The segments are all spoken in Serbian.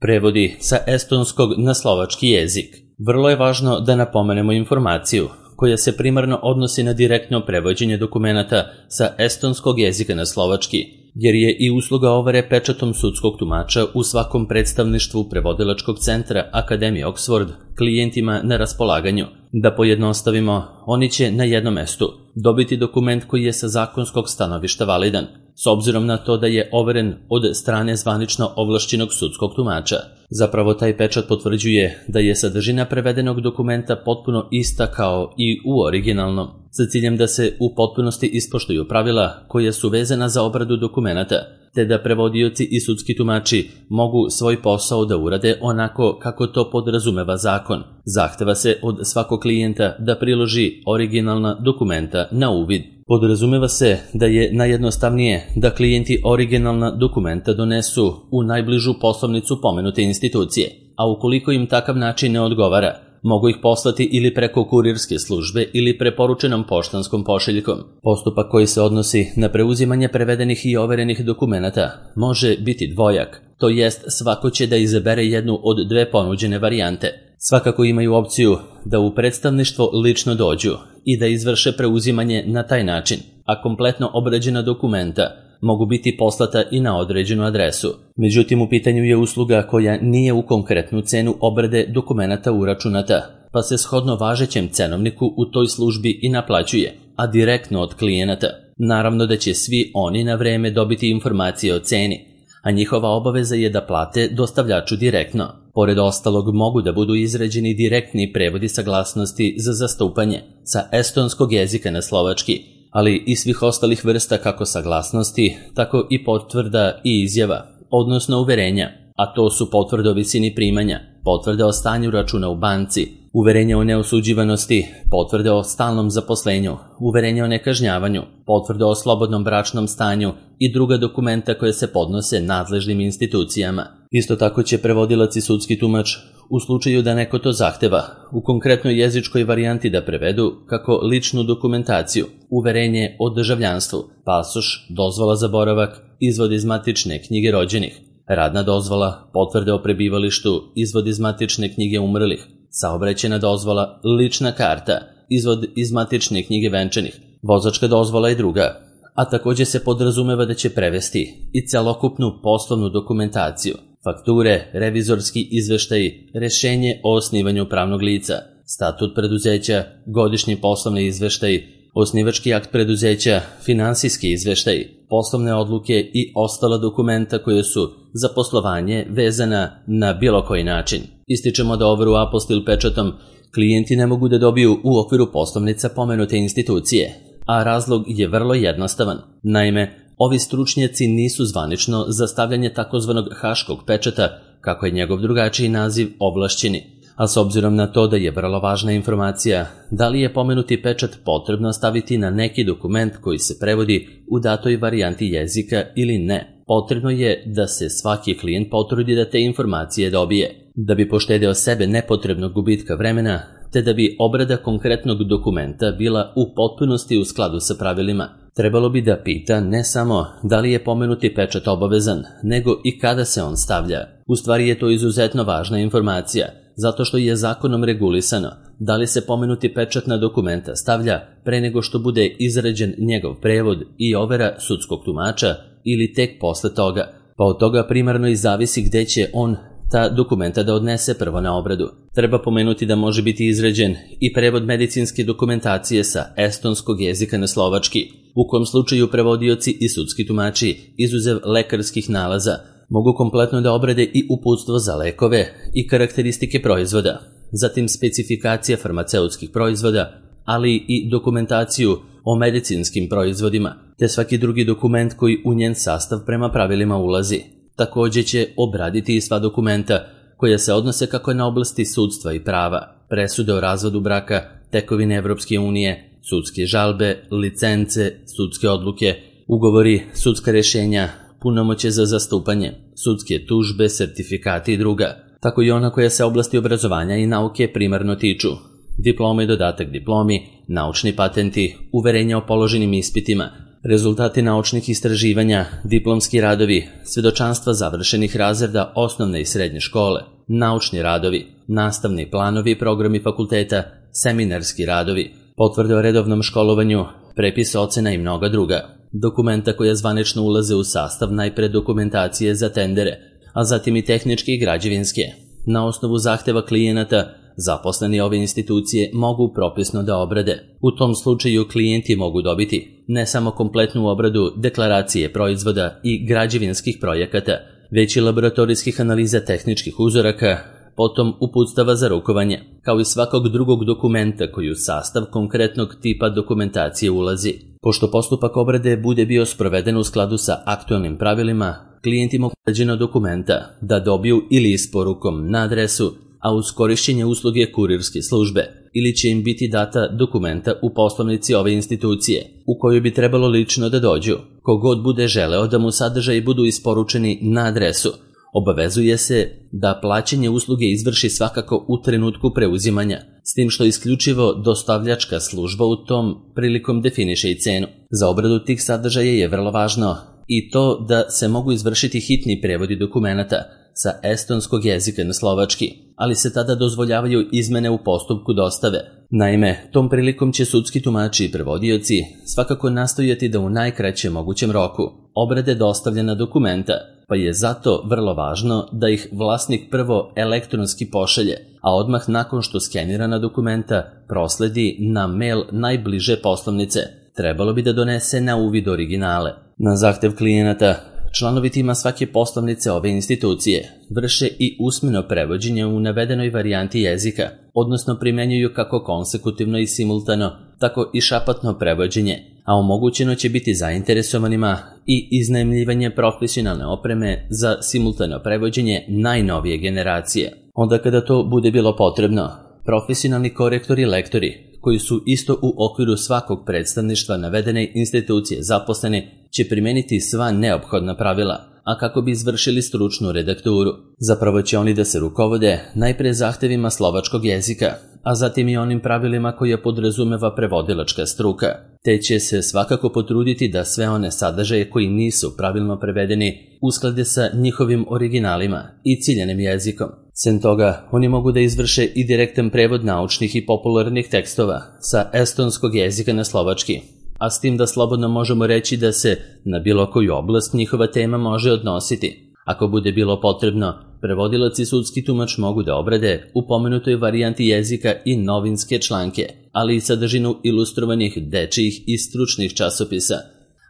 Prevodi sa estonskog na slovački jezik. Vrlo je važno da napomenemo informaciju koja se primarno odnosi na direktno prevođenje dokumenata sa estonskog jezika na slovački, jer je i usluga overe pečatom sudskog tumača u svakom predstavništvu prevodilačkog centra Akademije Oxford klijentima na raspolaganju. Da pojednostavimo, oni će na jednom mestu dobiti dokument koji je sa zakonskog stanovišta validan, s obzirom na to da je overen od strane zvanično ovlašćenog sudskog tumača. Zapravo taj pečat potvrđuje da je sadržina prevedenog dokumenta potpuno ista kao i u originalnom, sa ciljem da se u potpunosti ispoštuju pravila koja su vezana za obradu dokumenata, te da prevodioci i sudski tumači mogu svoj posao da urade onako kako to podrazumeva zakon. Zahteva se od svakog klijenta da priloži originalna dokumenta na uvid. Podrazumeva se da je najjednostavnije da klijenti originalna dokumenta donesu u najbližu poslovnicu pomenute institucije, a ukoliko im takav način ne odgovara, mogu ih poslati ili preko kurirske službe ili preporučenom poštanskom pošiljkom. Postupak koji se odnosi na preuzimanje prevedenih i overenih dokumenata može biti dvojak, to jest svako će da izabere jednu od dve ponuđene varijante. Svakako imaju opciju da u predstavništvo lično dođu i da izvrše preuzimanje na taj način, a kompletno obrađena dokumenta mogu biti poslata i na određenu adresu. Međutim, u pitanju je usluga koja nije u konkretnu cenu obrade dokumenata uračunata, pa se shodno važećem cenovniku u toj službi i naplaćuje, a direktno od klijenata. Naravno da će svi oni na vreme dobiti informacije o ceni, a njihova obaveza je da plate dostavljaču direktno. Pored ostalog mogu da budu izrađeni direktni prevodi saglasnosti za zastupanje sa estonskog jezika na slovački, ali i svih ostalih vrsta kako saglasnosti, tako i potvrda i izjava, odnosno uverenja, a to su potvrde o visini primanja, potvrde o stanju računa u banci, uverenje o neosuđivanosti, potvrde o stalnom zaposlenju, uverenje o nekažnjavanju, potvrde o slobodnom bračnom stanju i druga dokumenta koje se podnose nadležnim institucijama. Isto tako će prevodilac i sudski tumač, u slučaju da neko to zahteva, u konkretnoj jezičkoj varijanti da prevedu kako ličnu dokumentaciju, uverenje o državljanstvu, pasoš, dozvola za boravak, izvod iz matične knjige rođenih, radna dozvola, potvrde o prebivalištu, izvod iz matične knjige umrlih, saobraćajna dozvola, lična karta, izvod iz matične knjige venčanih, vozačka dozvola i druga. A također se podrazumeva da će prevesti i celokupnu poslovnu dokumentaciju, fakture, revizorski izveštaji, rešenje o osnivanju pravnog lica, statut preduzeća, godišnji poslovni izveštaji, osnivački akt preduzeća, finansijski izveštaji, poslovne odluke i ostala dokumenta koje su za poslovanje vezana na bilo koji način. Ističemo da overu apostil pečatom klijenti ne mogu da dobiju u okviru poslovnica pomenute institucije, a razlog je vrlo jednostavan. Naime, ovi stručnjaci nisu zvanično za stavljanje takozvanog haškog pečata, kako je njegov drugačiji naziv, ovlašćeni, a s obzirom na to da je vrlo važna informacija da li je pomenuti pečat potrebno staviti na neki dokument koji se prevodi u datoj varijanti jezika ili ne, potrebno je da se svaki klijent potrudi da te informacije dobije, da bi poštedeo sebe nepotrebnog gubitka vremena, te da bi obrada konkretnog dokumenta bila u potpunosti u skladu sa pravilima. Trebalo bi da pita ne samo da li je pomenuti pečat obavezan, nego i kada se on stavlja. U stvari je to izuzetno važna informacija, zato što je zakonom regulisano da li se pomenuti pečat na dokumenta stavlja pre nego što bude izrađen njegov prevod i overa sudskog tumača ili tek posle toga, pa od toga primarno i zavisi gde će on ta dokumenta da odnese prvo na obradu. Treba pomenuti da može biti izrađen i prevod medicinske dokumentacije sa estonskog jezika na slovački, u kom slučaju prevodioci i sudski tumači, izuzev lekarskih nalaza, mogu kompletno da obrade i uputstvo za lekove i karakteristike proizvoda, zatim specifikacija farmaceutskih proizvoda, ali i dokumentaciju o medicinskim proizvodima, te svaki drugi dokument koji u njen sastav prema pravilima ulazi. Također će obraditi i sva dokumenta koja se odnose kako na oblasti sudstva i prava, presude o razvodu braka, tekovine Evropske unije, sudske žalbe, licence, sudske odluke, ugovori, sudska rješenja, punomoćje za zastupanje, sudske tužbe, sertifikati i druga, tako i ona koja se oblasti obrazovanja i nauke primarno tiču, diploma i dodatak diplomi, naučni patenti, uverenja o položenim ispitima, rezultati naučnih istraživanja, diplomski radovi, svedočanstva završenih razreda osnovne i srednje škole, naučni radovi, nastavni planovi i programi fakulteta, seminarski radovi, potvrde o redovnom školovanju, prepis ocena i mnoga druga. Dokumenta koja zvanično ulaze u sastav najpre dokumentacije za tendere, a zatim i tehničke i građevinske. Na osnovu zahteva klijenata, zaposleni ove institucije mogu propisno da obrade. U tom slučaju klijenti mogu dobiti ne samo kompletnu obradu deklaracije proizvoda i građevinskih projekata, već i laboratorijskih analiza tehničkih uzoraka, potom uputstava za rukovanje, kao i svakog drugog dokumenta koji u sastav konkretnog tipa dokumentacije ulazi. Pošto postupak obrade bude bio sproveden u skladu sa aktualnim pravilima, klijenti mogu obrađena dokumenta da dobiju ili isporukom na adresu, a uz korišćenje usluge kurirske službe, ili će im biti data dokumenta u poslovnici ove institucije, u koju bi trebalo lično da dođu. Kogod bude želeo da mu sadržaji budu isporučeni na adresu, obavezuje se da plaćanje usluge izvrši svakako u trenutku preuzimanja, s tim što isključivo dostavljačka služba u tom prilikom definiše i cenu. Za obradu tih sadržaja je vrlo važno i to da se mogu izvršiti hitni prevodi dokumenata sa estonskog jezika na slovački, ali se tada dozvoljavaju izmene u postupku dostave. Naime, tom prilikom će sudski tumači i prevodioci svakako nastojati da u najkraćem mogućem roku obrade dostavljena dokumenta, pa je zato vrlo važno da ih vlasnik prvo elektronski pošalje, a odmah nakon što skenirana dokumenta prosledi na mail najbliže poslovnice. Trebalo bi da donese na uvid originale. Na zahtev klijenata, članovi tima svake poslovnice ove institucije vrše i usmeno prevođenje u navedenoj varijanti jezika, odnosno primenjuju kako konsekutivno i simultano, tako i šapatno prevođenje, a omogućeno će biti zainteresovanima i iznajmljivanje profesionalne opreme za simultano prevođenje najnovije generacije. Onda kada to bude bilo potrebno, profesionalni korektori i lektori, koji su isto u okviru svakog predstavništva navedene institucije zaposleni, će primeniti sva neophodna pravila, a kako bi izvršili stručnu redakturu. Zapravo će oni da se rukovode najpre zahtevima slovačkog jezika, a zatim i onim pravilima koje podrazumeva prevodilačka struka, te će se svakako potruditi da sve one sadržaje koji nisu pravilno prevedeni usklade sa njihovim originalima i ciljanim jezikom. Sem toga, oni mogu da izvrše i direktan prevod naučnih i popularnih tekstova sa estonskog jezika na slovački, a s tim da slobodno možemo reći da se na bilo koju oblast njihova tema može odnositi. Ako bude bilo potrebno, prevodilac i sudski tumač mogu da obrade u pomenutoj varijanti jezika i novinske članke, ali i sadržinu ilustrovanih dečijih i stručnih časopisa,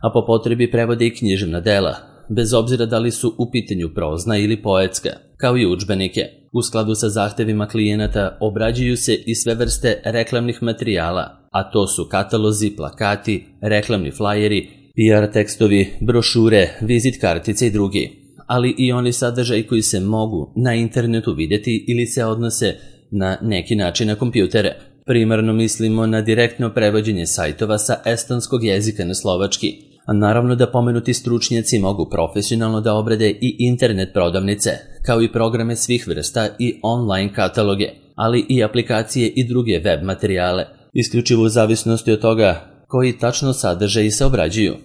a po potrebi prevode i književna dela, bez obzira da li su u pitanju prozna ili poetska, kao i udžbenike. U skladu sa zahtevima klijenata obrađuju se i sve vrste reklamnih materijala, a to su katalozi, plakati, reklamni flajeri, PR tekstovi, brošure, vizit kartice i drugi, ali i oni sadržaji koji se mogu na internetu vidjeti ili se odnose na neki način na kompjutere. Primarno mislimo na direktno prevođenje sajtova sa estonskog jezika na slovački, a naravno da pomenuti stručnjaci mogu profesionalno da obrade i internet prodavnice, kao i programe svih vrsta i online kataloge, ali i aplikacije i druge web materijale, isključivo u zavisnosti od toga koji tačno sadržaji se obrađuju.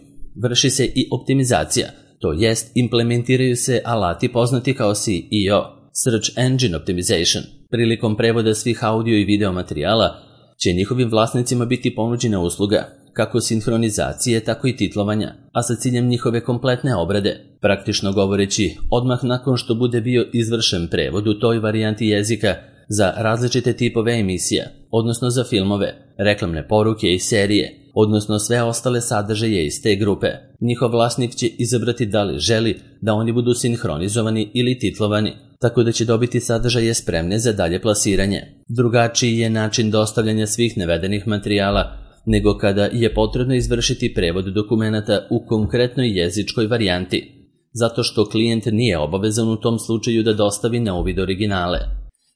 Vrši se i optimizacija, to jest implementiraju se alati poznati kao SEO, Search Engine Optimization. Prilikom prevoda svih audio i video materijala će njihovim vlasnicima biti ponuđena usluga kako sinhronizacije, tako i titlovanja, a sa ciljem njihove kompletne obrade. Praktično govoreći, odmah nakon što bude bio izvršen prevod u toj varijanti jezika za različite tipove emisija, odnosno za filmove, reklamne poruke i serije, odnosno sve ostale sadržaje iz te grupe, njihov vlasnik će izabrati da li želi da oni budu sinhronizovani ili titlovani, tako da će dobiti sadržaje spremne za dalje plasiranje. Drugačiji je način dostavljanja svih navedenih materijala nego kada je potrebno izvršiti prevod dokumenata u konkretnoj jezičkoj varijanti, zato što klijent nije obavezan u tom slučaju da dostavi na uvid originale.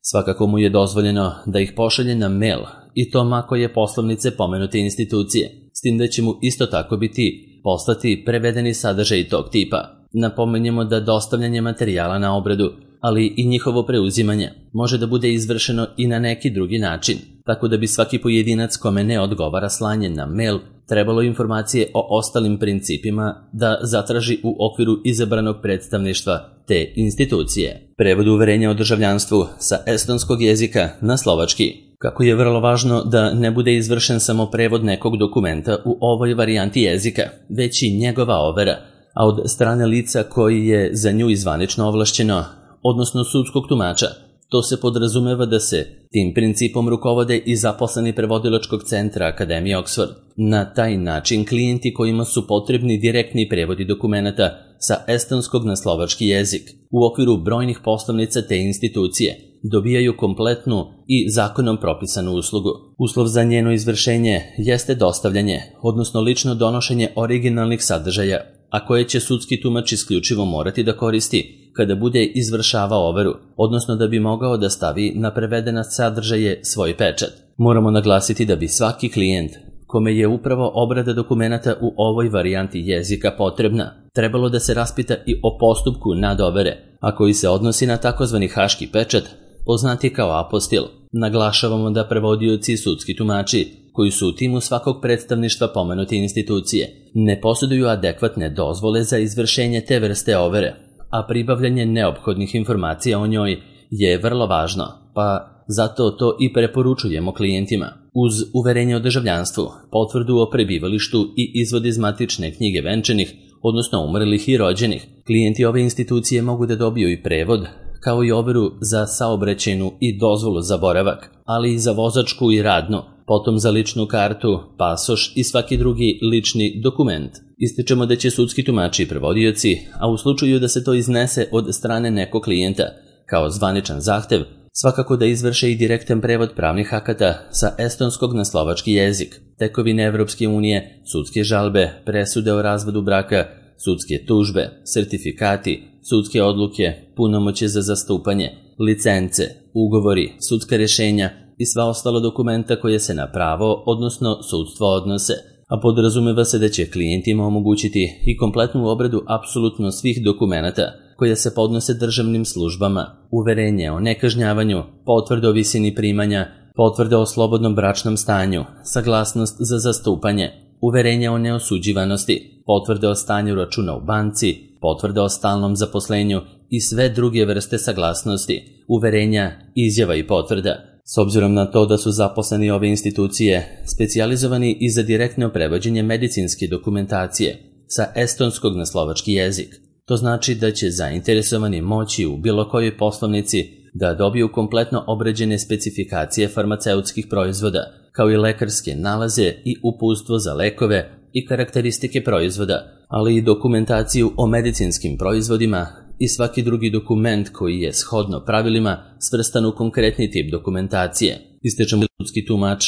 Svakako mu je dozvoljeno da ih pošalje na mail, i to ako je poslovnice pomenute institucije, s tim da će mu isto tako biti poslati prevedeni sadržaj tog tipa. Napomenjemo da dostavljanje materijala na obradu, ali i njihovo preuzimanje, može da bude izvršeno i na neki drugi način, tako da bi svaki pojedinac kome ne odgovara slanje na mail trebalo informacije o ostalim principima da zatraži u okviru izabranog predstavništva te institucije. Prevod uverenja o državljanstvu sa estonskog jezika na slovački. Kako je vrlo važno da ne bude izvršen samo prevod nekog dokumenta u ovoj varijanti jezika, već i njegova overa, a od strane lica koji je za nju zvanično ovlašćeno, odnosno sudskog tumača. To se podrazumeva da se tim principom rukovode i zaposleni prevodilačkog centra Akademije Oxford. Na taj način klijenti kojima su potrebni direktni prevodi dokumenata sa estonskog na slovački jezik u okviru brojnih poslovnica te institucije dobijaju kompletnu i zakonom propisanu uslugu. Uslov za njeno izvršenje jeste dostavljanje, odnosno lično donošenje originalnih sadržaja, a koje će sudski tumač isključivo morati da koristi kada bude izvršavao overu, odnosno da bi mogao da stavi na prevedena sadržaje svoj pečat. Moramo naglasiti da bi svaki klijent kome je upravo obrada dokumenata u ovoj varijanti jezika potrebna, trebalo da se raspita i o postupku nadovere, a koji se odnosi na takozvani haški pečat, poznati kao apostil. Naglašavamo da prevodioci i sudski tumači, koji su u timu svakog predstavništva pomenute institucije, ne posjeduju adekvatne dozvole za izvršenje te vrste overe, a pribavljanje neophodnih informacija o njoj je vrlo važno, pa zato to i preporučujemo klijentima. Uz uverenje o državljanstvu, potvrdu o prebivalištu i izvod iz matične knjige venčanih, odnosno umrlih i rođenih, klijenti ove institucije mogu da dobiju i prevod, kao i overu za saobraćajnu i dozvolu za boravak, ali i za vozačku i radnu, potom za ličnu kartu, pasoš i svaki drugi lični dokument. Ističemo da će sudski tumači i prevodioci, a u slučaju da se to iznese od strane nekog klijenta, kao zvaničan zahtev, svakako da izvrše i direktan prevod pravnih akata sa estonskog na slovački jezik, tekovine Evropske unije, sudske žalbe, presude o razvodu braka, sudske tužbe, sertifikati, sudske odluke, punomoćje za zastupanje, licence, ugovori, sudska rješenja i sva ostala dokumenta koje se na pravo, odnosno sudstvo odnose, a podrazumeva se da će klijentima omogućiti i kompletnu obradu apsolutno svih dokumenata koje se podnose državnim službama, uverenje o nekažnjavanju, potvrde o visini primanja, potvrde o slobodnom bračnom stanju, saglasnost za zastupanje, uverenje o neosuđivanosti, potvrde o stanju računa u banci, potvrde o stalnom zaposlenju i sve druge vrste saglasnosti, uverenja, izjava i potvrda. S obzirom na to da su zaposleni ove institucije specijalizovani i za direktno prevođenje medicinske dokumentacije sa estonskog na slovački jezik, to znači da će zainteresovani moći u bilo kojoj poslovnici da dobiju kompletno obrađene specifikacije farmaceutskih proizvoda, kao i lekarske nalaze i uputstvo za lekove i karakteristike proizvoda, ali i dokumentaciju o medicinskim proizvodima i svaki drugi dokument koji je shodno pravilima svrstan u konkretni tip dokumentacije. Ističemo da sudski tumač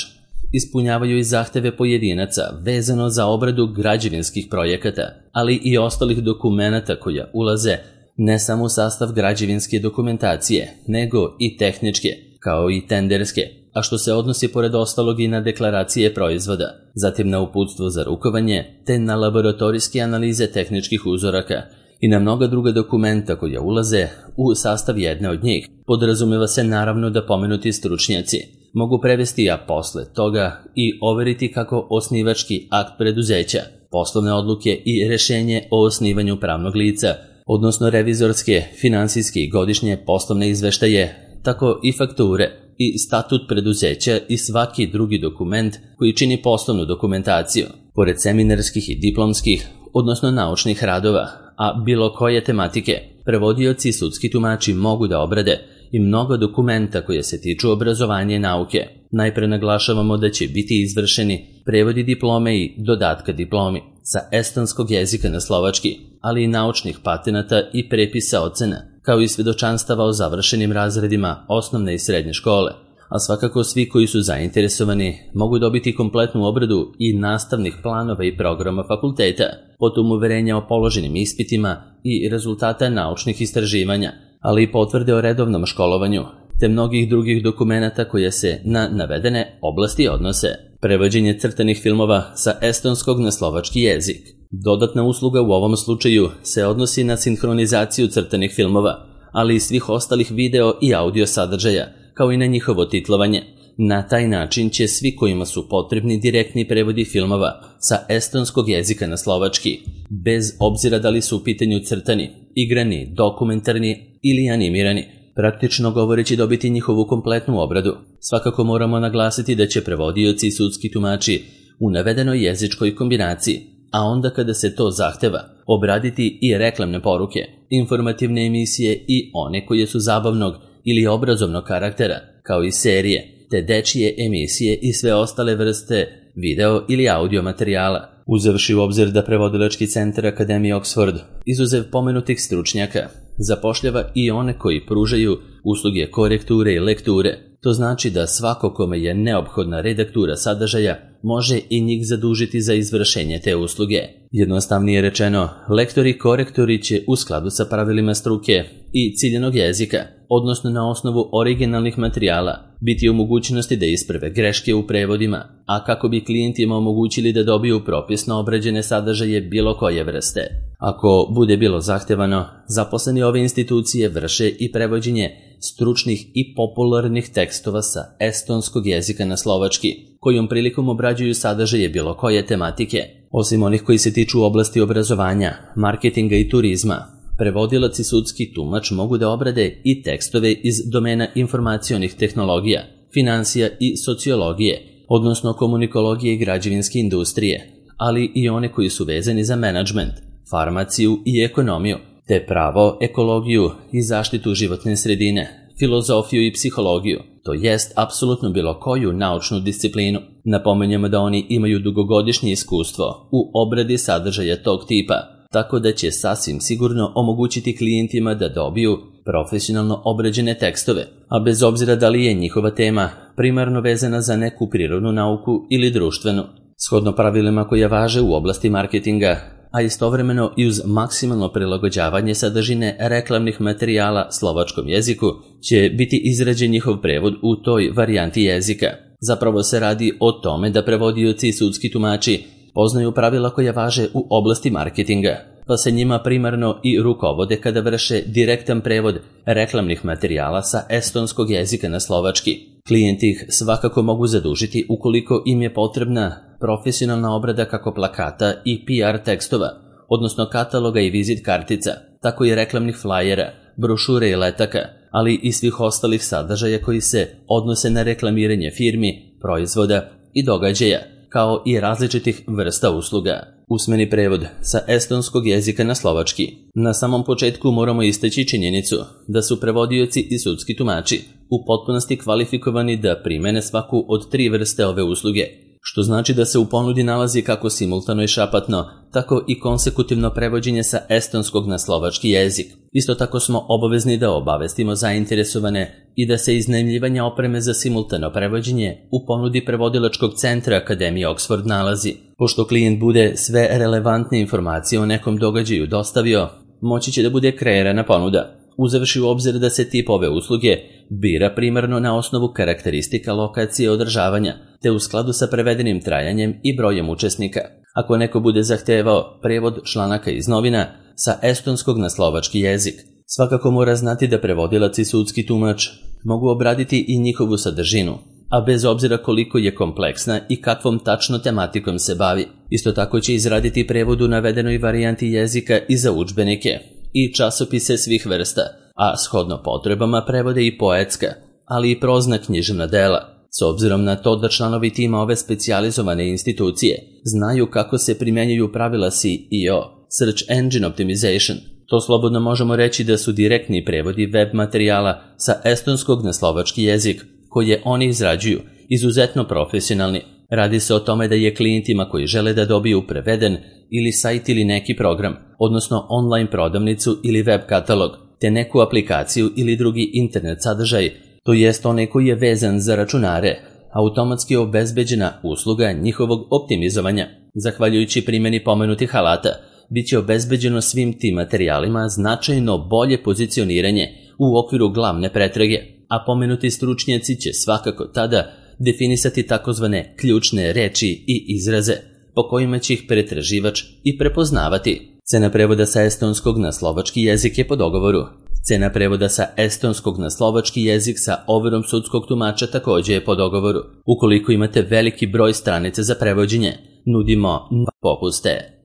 ispunjavaju i zahteve pojedinaca vezano za obradu građevinskih projekata, ali i ostalih dokumenata koja ulaze ne samo u sastav građevinske dokumentacije, nego i tehničke, kao i tenderske, a što se odnosi pored ostalog i na deklaracije proizvoda, zatim na uputstvo za rukovanje, te na laboratorijske analize tehničkih uzoraka i na mnoga druga dokumenta koja ulaze u sastav jedne od njih. Podrazumeva se naravno da pomenuti stručnjaci mogu prevesti, a posle toga i overiti kako osnivački akt preduzeća, poslovne odluke i rešenje o osnivanju pravnog lica, odnosno revizorske, finansijske i godišnje poslovne izveštaje, tako i fakture i statut preduzeća i svaki drugi dokument koji čini poslovnu dokumentaciju, pored seminarskih i diplomskih, odnosno naučnih radova, a bilo koje tematike. Prevodioci i sudski tumači mogu da obrade i mnogo dokumenta koje se tiču obrazovanja i nauke. Najpre naglašavamo da će biti izvršeni prevodi diplome i dodatka diplomi sa estonskog jezika na slovački, ali i naučnih patenata i prepisa ocena, kao i svedočanstava o završenim razredima osnovne i srednje škole, a svakako svi koji su zainteresovani mogu dobiti kompletnu obradu i nastavnih planova i programa fakulteta, potom uverenja o položenim ispitima i rezultata naučnih istraživanja, ali i potvrde o redovnom školovanju, te mnogih drugih dokumenata koje se na navedene oblasti odnose. Prevođenje crtanih filmova sa estonskog na slovački jezik. Dodatna usluga u ovom slučaju se odnosi na sinhronizaciju crtanih filmova, ali i svih ostalih video i audio sadržaja, kao i na njihovo titlovanje, Na taj način će svi kojima su potrebni direktni prevodi filmova sa estonskog jezika na slovački, bez obzira da li su u pitanju crtani, igrani, dokumentarni ili animirani, praktično govoreći dobiti njihovu kompletnu obradu. Svakako moramo naglasiti da će prevodioci i sudski tumači u navedenoj jezičkoj kombinaciji, a onda kada se to zahteva, obraditi i reklamne poruke, informativne emisije i one koje su zabavnog ili obrazovnog karaktera, kao i serije, te dečije emisije i sve ostale vrste video ili audio materijala. Uzevši u obzir da prevodilački centar Akademije Oxford, izuzev pomenutih stručnjaka, zapošljava i one koji pružaju usluge korekture i lekture. To znači da svako kome je neophodna redaktura sadržaja može i njih zadužiti za izvršenje te usluge. Jednostavnije rečeno, lektori i korektori će u skladu sa pravilima struke i ciljanog jezika, odnosno na osnovu originalnih materijala, biti u mogućnosti da isprave greške u prevodima, a kako bi klijentima omogućili da dobiju propisno obrađene sadržaje bilo koje vrste. Ako bude bilo zahtevano, zaposleni ove institucije vrše i prevođenje stručnih i popularnih tekstova sa estonskog jezika na slovački, kojom prilikom obrađuju sadržaje bilo koje tematike. Osim onih koji se tiču oblasti obrazovanja, marketinga i turizma, prevodilac i sudski tumač mogu da obrade i tekstove iz domena informacionih tehnologija, finansija i sociologije, odnosno komunikologije i građevinske industrije, ali i one koji su vezani za menadžment, farmaciju i ekonomiju, te pravo, ekologiju i zaštitu životne sredine, filozofiju i psihologiju, to jest apsolutno bilo koju naučnu disciplinu. Napominjemo da oni imaju dugogodišnje iskustvo u obradi sadržaja tog tipa, tako da će sasvim sigurno omogućiti klijentima da dobiju profesionalno obrađene tekstove, a bez obzira da li je njihova tema primarno vezana za neku prirodnu nauku ili društvenu. Shodno pravilima koja važe u oblasti marketinga, a istovremeno i uz maksimalno prilagođavanje sadržine reklamnih materijala slovačkom jeziku, će biti izrađen njihov prevod u toj varijanti jezika. Zapravo se radi o tome da prevodioci i sudski tumači poznaju pravila koja važe u oblasti marketinga, pa se njima primarno i rukovode kada vrše direktan prevod reklamnih materijala sa estonskog jezika na slovački. Klijenti ih svakako mogu zadužiti ukoliko im je potrebna profesionalna obrada kako plakata i PR tekstova, odnosno kataloga i vizit kartica, tako i reklamnih flajera, brošure i letaka, ali i svih ostalih sadržaja koji se odnose na reklamiranje firmi, proizvoda i događaja, kao i različitih vrsta usluga. Usmeni prevod sa estonskog jezika na slovački. Na samom početku moramo istaći činjenicu da su prevodioci i sudski tumači u potpunosti kvalifikovani da primene svaku od 3 vrste ove usluge, što znači da se u ponudi nalazi kako simultano i šapatno, tako i konsekutivno prevođenje sa estonskog na slovački jezik. Isto tako smo obavezni da obavestimo zainteresovane i da se iznajmljivanja opreme za simultano prevođenje u ponudi prevodilačkog centra Akademije Oxford nalazi. Pošto klijent bude sve relevantne informacije o nekom događaju dostavio, moći će da bude kreirana ponuda, uzevši u obzir da se tip ove usluge bira primarno na osnovu karakteristika lokacije održavanja, te u skladu sa prevedenim trajanjem i brojem učesnika. Ako neko bude zahtevao prevod članaka iz novina sa estonskog na slovački jezik, svakako mora znati da prevodilac i sudski tumač mogu obraditi i njihovu sadržinu, a bez obzira koliko je kompleksna i kakvom tačno tematikom se bavi. Isto tako će izraditi prevod u navedenoj varijanti jezika i za udžbenike i časopise svih vrsta, a shodno potrebama prevode i poetska, ali i prozna književna dela. S obzirom na to da članovi tima ove specijalizovane institucije znaju kako se primjenjuju pravila SEO, Search Engine Optimization, to slobodno možemo reći da su direktni prevodi web materijala sa estonskog na slovački jezik, koje oni izrađuju, izuzetno profesionalni. Radi se o tome da je klijentima koji žele da dobiju preveden ili sajt ili neki program, odnosno online prodavnicu ili web katalog, te neku aplikaciju ili drugi internet sadržaj, to jest onaj koji je vezan za računare, automatski obezbeđena usluga njihovog optimizovanja. Zahvaljujući primjeni pomenutih alata, bit će obezbeđeno svim tim materijalima značajno bolje pozicioniranje u okviru glavne pretrage, a pomenuti stručnjaci će svakako tada definisati takozvane ključne reči i izraze, po kojima će ih pretraživač i prepoznavati. Cena prevoda sa estonskog na slovački jezik je po dogovoru Cena prevoda sa estonskog na slovački jezik sa overom sudskog tumača takođe je po dogovoru. Ukoliko imate veliki broj stranica za prevođenje, nudimo popuste.